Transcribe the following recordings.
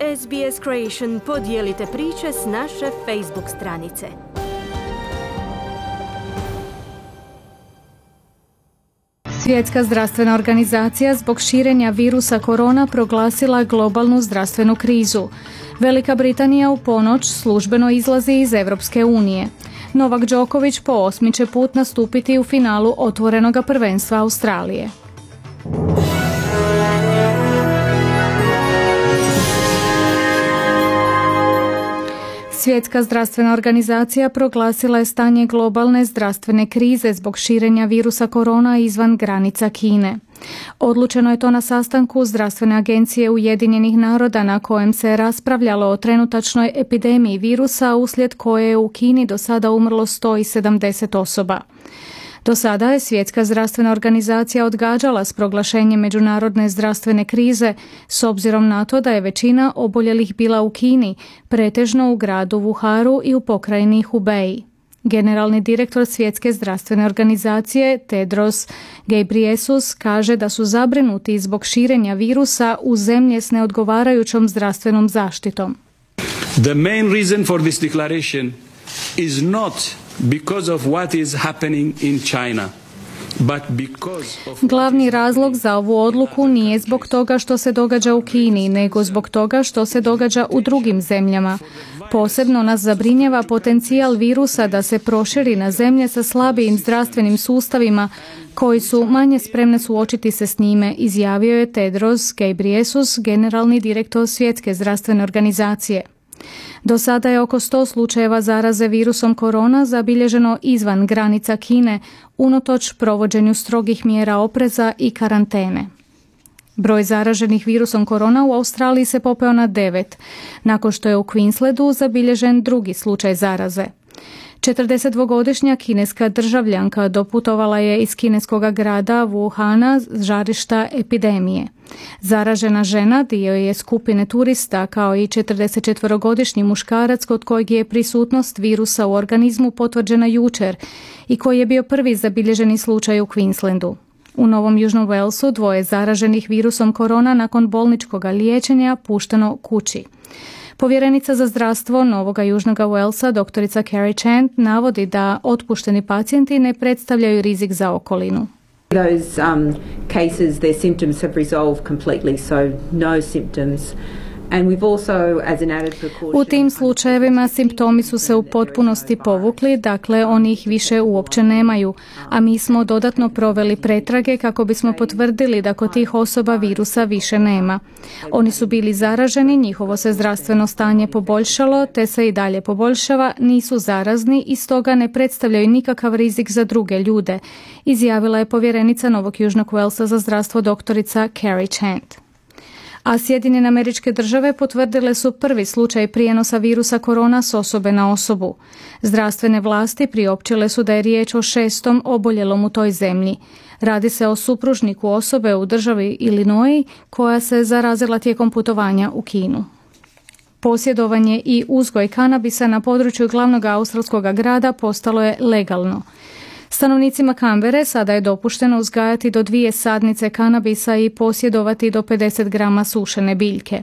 SBS Creation podijelite priče s naše Facebook stranice. Svjetska zdravstvena organizacija zbog širenja virusa korona proglasila globalnu zdravstvenu krizu. Velika Britanija u ponoć službeno izlazi iz Europske unije. Novak Đoković po 8. će put nastupiti u finalu otvorenoga prvenstva Australije. Svjetska zdravstvena organizacija proglasila je stanje globalne zdravstvene krize zbog širenja virusa korona izvan granica Kine. Odlučeno je to na sastanku Zdravstvene agencije Ujedinjenih naroda na kojem se raspravljalo o trenutačnoj epidemiji virusa uslijed koje je u Kini do sada umrlo 170 osoba. Do sada je Svjetska zdravstvena organizacija odgađala s proglašenjem međunarodne zdravstvene krize s obzirom na to da je većina oboljelih bila u Kini, pretežno u gradu Wuharu i u pokrajini Hubei. Generalni direktor Svjetske zdravstvene organizacije Tedros Ghebreyesus kaže da su zabrinuti zbog širenja virusa u zemlje s neodgovarajućom zdravstvenom zaštitom. The main reason for this declaration is not because of what is happening in China. Glavni razlog za ovu odluku nije zbog toga što se događa u Kini, nego zbog toga što se događa u drugim zemljama. Posebno nas zabrinjava potencijal virusa da se proširi na zemlje sa slabijim zdravstvenim sustavima koji su manje spremne suočiti se s njime, izjavio je Tedros Ghebreyesus, generalni direktor Svjetske zdravstvene organizacije. Do sada je oko 100 slučajeva zaraze virusom korona zabilježeno izvan granica Kine, unatoč provođenju strogih mjera opreza i karantene. Broj zaraženih virusom korona u Australiji se popeo na 9, nakon što je u Queenslandu zabilježen drugi slučaj zaraze. 42-godišnja kineska državljanka doputovala je iz kineskog grada Wuhana, žarišta epidemije. Zaražena žena dio je skupine turista kao i 44-godišnji muškarac kod kojeg je prisutnost virusa u organizmu potvrđena jučer i koji je bio prvi zabilježeni slučaj u Queenslandu. U Novom Južnom Walesu 2 zaraženih virusom korona nakon bolničkog liječenja pušteno kući. Povjerenica za zdravstvo Novoga Južnog Walesa, doktorica Carrie Chant, navodi da otpušteni pacijenti ne predstavljaju rizik za okolinu. Those cases, their symptoms have resolved completely, so no symptoms. And we've also, as an added precaution, u tim slučajevima simptomi su se u potpunosti povukli, dakle oni ih više uopće nemaju, a mi smo dodatno proveli pretrage kako bismo potvrdili da kod tih osoba virusa više nema. Oni su bili zaraženi, njihovo se zdravstveno stanje poboljšalo, te se i dalje poboljšava, nisu zarazni i stoga ne predstavljaju nikakav rizik za druge ljude, izjavila je povjerenica Novog Južnog Walesa za zdravstvo doktorica Carrie Chant. A Sjedinjene Američke Države potvrdile su prvi slučaj prijenosa virusa korona s osobe na osobu. Zdravstvene vlasti priopćile su da je riječ o 6. oboljelom u toj zemlji. Radi se o supružniku osobe u državi Illinois koja se zarazila tijekom putovanja u Kinu. Posjedovanje i uzgoj kanabisa na području glavnog australskog grada postalo je legalno. Stanovnicima Canberre sada je dopušteno uzgajati do 2 sadnice kanabisa i posjedovati do 50 grama sušene biljke.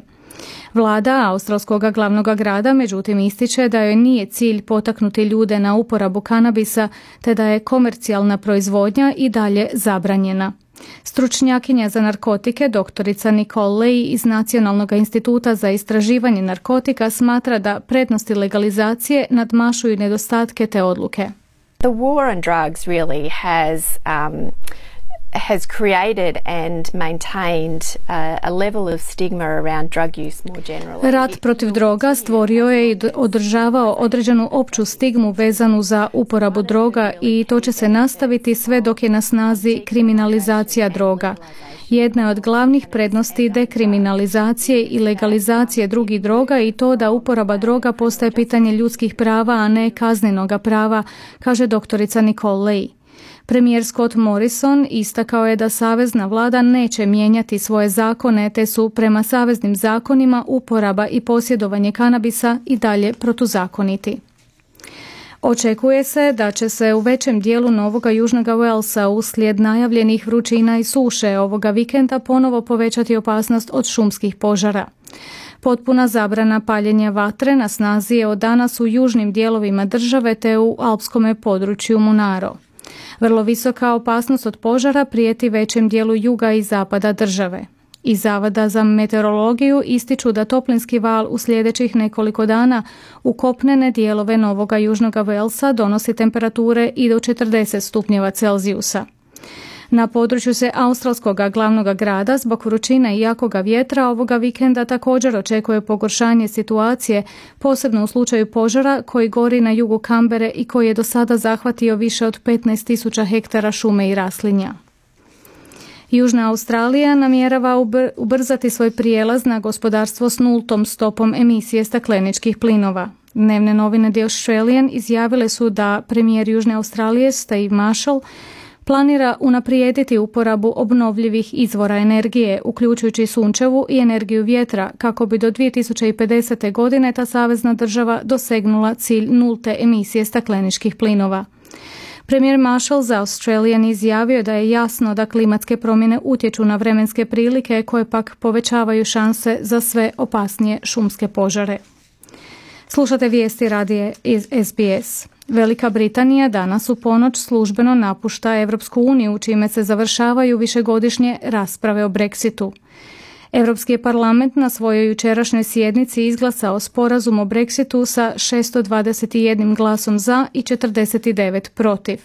Vlada australskog glavnog grada međutim ističe da joj nije cilj potaknuti ljude na uporabu kanabisa te da je komercijalna proizvodnja i dalje zabranjena. Stručnjakinja za narkotike doktorica Nicole Ley iz Nacionalnog instituta za istraživanje narkotika smatra da prednosti legalizacije nadmašuju nedostatke te odluke. The war on drugs really has created and maintained a level of stigma around drug use more generally. Rat protiv droga stvorio je i održavao određenu opću stigmu vezanu za uporabu droga i to će se nastaviti sve dok je na snazi kriminalizacija droga. Jedna od glavnih prednosti dekriminalizacije i legalizacije drugih droga i to da uporaba droga postaje pitanje ljudskih prava, a ne kaznenoga prava, kaže doktorica Nicole Ley. Premijer Scott Morrison istakao je da savezna vlada neće mijenjati svoje zakone, te su prema saveznim zakonima uporaba i posjedovanje kanabisa i dalje protuzakoniti. Očekuje se da će se u većem dijelu Novoga Južnoga Walesa uslijed najavljenih vrućina i suše ovoga vikenda ponovo povećati opasnost od šumskih požara. Potpuna zabrana paljenja vatre na snazi je od danas u južnim dijelovima države te u alpskome području Munaro. Vrlo visoka opasnost od požara prijeti većem dijelu juga i zapada države. Iz Zavoda za meteorologiju ističu da toplinski val u sljedećih nekoliko dana u kopnene dijelove Novoga Južnoga Velsa donosi temperature i do 40 stupnjeva Celzijusa. Na području se australskog glavnog grada zbog vrućine i jakoga vjetra ovoga vikenda također očekuje pogoršanje situacije, posebno u slučaju požara koji gori na jugu Kambere i koji je do sada zahvatio više od 15.000 hektara šume i raslinja. Južna Australija namjerava ubrzati svoj prijelaz na gospodarstvo s nultom stopom emisije stakleničkih plinova. Dnevne novine The Australian izjavile su da premijer Južne Australije Steve Marshall planira unaprijediti uporabu obnovljivih izvora energije, uključujući sunčevu i energiju vjetra, kako bi do 2050. godine ta savezna država dosegnula cilj nulte emisije stakleničkih plinova. Premijer Marshall za Australian izjavio da je jasno da klimatske promjene utječu na vremenske prilike koje pak povećavaju šanse za sve opasnije šumske požare. Slušate vijesti radije iz SBS. Velika Britanija danas u ponoć službeno napušta Europsku uniju, čime se završavaju višegodišnje rasprave o Brexitu. Europski je parlament na svojoj jučerašnjoj sjednici izglasao sporazum o Brexitu sa 621 glasom za i 49 protiv.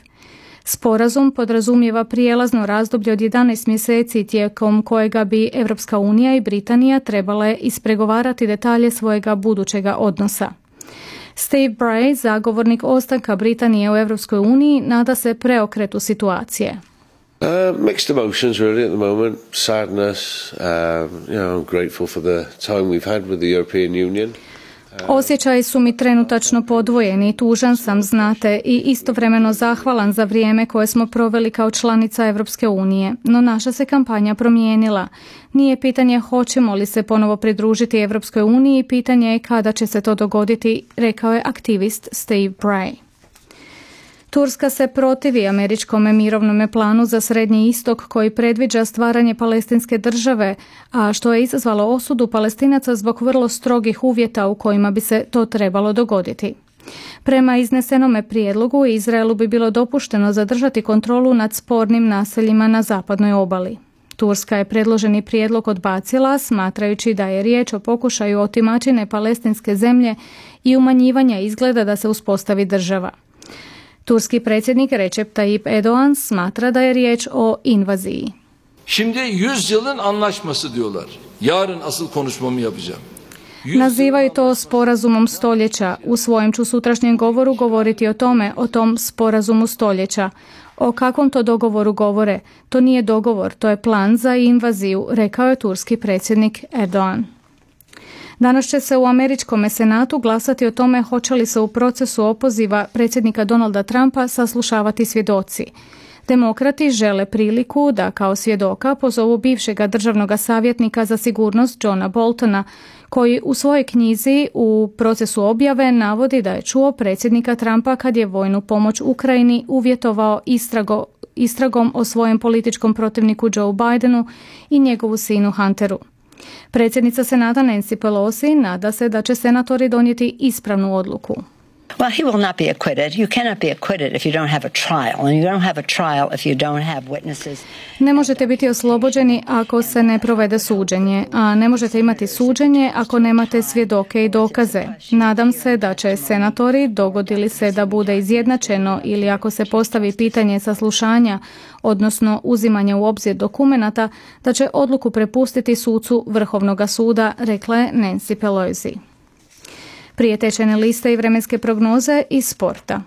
Sporazum podrazumijeva prijelazno razdoblje od 11 mjeseci tijekom kojega bi Europska unija i Britanija trebale ispregovarati detalje svojega budućega odnosa. Steve Bray, zagovornik ostanka Britanije u Europskoj uniji, nada se preokretu situacije. Mixed emotions really at the moment. Sadness, I'm grateful for the time we've had with the European Union. Osjećaji su mi trenutačno podvojeni, tužan sam, znate, i istovremeno zahvalan za vrijeme koje smo proveli kao članica Europske unije. No naša se kampanja promijenila. Nije pitanje hoćemo li se ponovo pridružiti Europskoj uniji, pitanje je kada će se to dogoditi, rekao je aktivist Steve Bray. Turska se protivi američkom mirovnom planu za Srednji istok koji predviđa stvaranje palestinske države, a što je izazvalo osudu Palestinaca zbog vrlo strogih uvjeta u kojima bi se to trebalo dogoditi. Prema iznesenome prijedlogu, Izraelu bi bilo dopušteno zadržati kontrolu nad spornim naseljima na zapadnoj obali. Turska je predloženi prijedlog odbacila, smatrajući da je riječ o pokušaju otimačine palestinske zemlje i umanjivanja izgleda da se uspostavi država. Turski predsjednik Recep Tayyip Erdoğan smatra da je riječ o invaziji. Şimdi 100 yılın anlaşması diyorlar. Yarın asıl konuşmamı yapacağım. Nazivaju to sporazumom stoljeća. U svojem ću sutrašnjem govoru govoriti o tom sporazumu stoljeća. O kakvom to dogovoru govore? To nije dogovor, to je plan za invaziju, rekao je turski predsjednik Erdoğan. Danas će se u američkom senatu glasati o tome hoće li se u procesu opoziva predsjednika Donalda Trumpa saslušavati svjedoci. Demokrati žele priliku da kao svjedoka pozovu bivšega državnog savjetnika za sigurnost Johna Boltona, koji u svojoj knjizi u procesu objave navodi da je čuo predsjednika Trumpa kad je vojnu pomoć Ukrajini uvjetovao istragom o svojem političkom protivniku Joe Bidenu i njegovu sinu Hunteru. Predsjednica Senata Nancy Pelosi nada se da će senatori donijeti ispravnu odluku. Well, he will not be acquitted. You cannot be acquitted if you don't have a trial, and you don't have a trial if you don't have witnesses. Ne možete biti oslobođeni ako se ne provede suđenje, a ne možete imati suđenje ako nemate svjedoke i dokaze. Nadam se da će senatori, dogodi li se da bude izjednačeno ili ako se postavi pitanje saslušanja, odnosno uzimanja u obzir dokumenata, da će odluku prepustiti sucu Vrhovnog suda, rekla je Nancy Pelosi. Prije tečajne liste i vremenske prognoze iz sporta.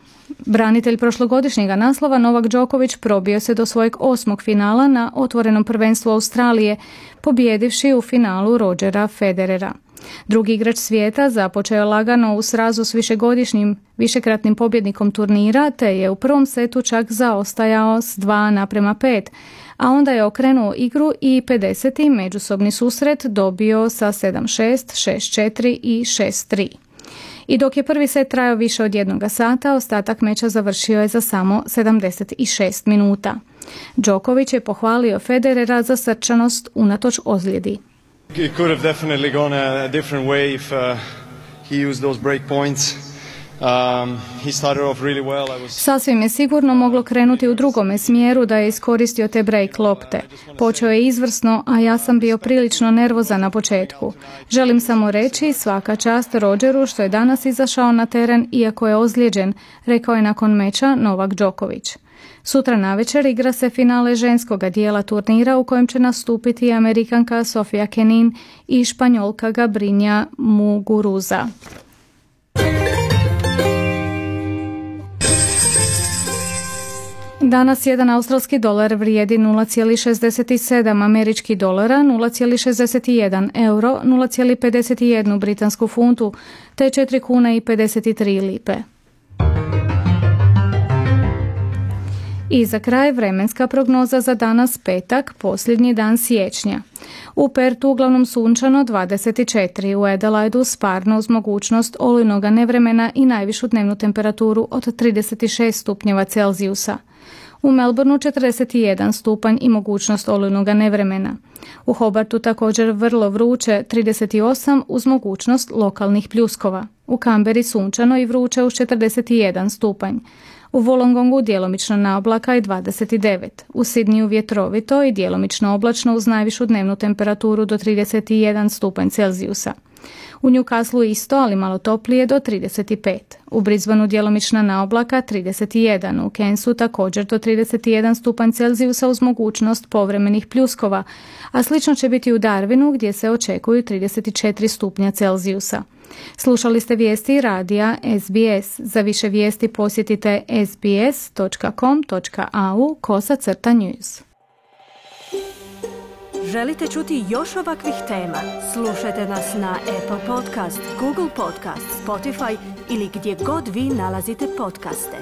Branitelj prošlogodišnjega naslova Novak Đoković probio se do svojeg 8. finala na otvorenom prvenstvu Australije, pobijedivši u finalu Rodgera Federera. Drugi igrač svijeta započeo je lagano u srazu s višekratnim pobjednikom turnira, te je u prvom setu čak zaostajao s 2:5, a onda je okrenuo igru i 50. međusobni susret dobio sa 7-6, 6-4 i 6-3. I dok je prvi set trajao više od 1 sata, ostatak meča završio je za samo 76 minuta. Đoković je pohvalio Federera za srčanost unatoč ozljedi. It could have definitely gone a different way if he used those break points. He started off really well. Sasvim je sigurno moglo krenuti u drugome smjeru da je iskoristio te break lopte. Počeo je izvrsno, a ja sam bio prilično nervozan na početku. Želim samo reći svaka čast Rodgeru što je danas izašao na teren iako je ozlijeđen, rekao je nakon meča Novak Đoković. Sutra navečer igra se finale ženskoga dijela turnira u kojem će nastupiti Amerikanka Sofia Kenin i Španjolka Gabrinja Muguruza. Danas jedan australski dolar vrijedi 0,67 američkih dolara, 0,61 euro, 0,51 britansku funtu, te 4 kuna i 53 lipe. I za kraj vremenska prognoza za danas petak, posljednji dan siječnja. U Pertu uglavnom sunčano 24, u Adelaidu sparno uz mogućnost olujnoga nevremena i najvišu dnevnu temperaturu od 36 stupnjeva Celzijusa. U Melbourneu 41 stupanj i mogućnost olujnoga nevremena. U Hobartu također vrlo vruće 38 uz mogućnost lokalnih pljuskova. U Kamberi sunčano i vruće uz 41 stupanj. U Wollongongu djelomično na oblaka i 29. U Sidniju vjetrovito i djelomično oblačno uz najvišu dnevnu temperaturu do 31 stupanj Celzijusa. U Newcastlu isto, ali malo toplije do 35. U Brisbaneu djelomična na oblaka 31. U Cairnsu također do 31 stupanj Celzijusa uz mogućnost povremenih pljuskova, a slično će biti u Darwinu gdje se očekuju 34 stupnja Celzijusa. Slušali ste vijesti radija SBS. Za više vijesti posjetite sbs.com.au/news. Želite čuti još ovakvih tema? Slušajte nas na Apple Podcast, Google Podcast, Spotify ili gdje god vi nalazite podcaste.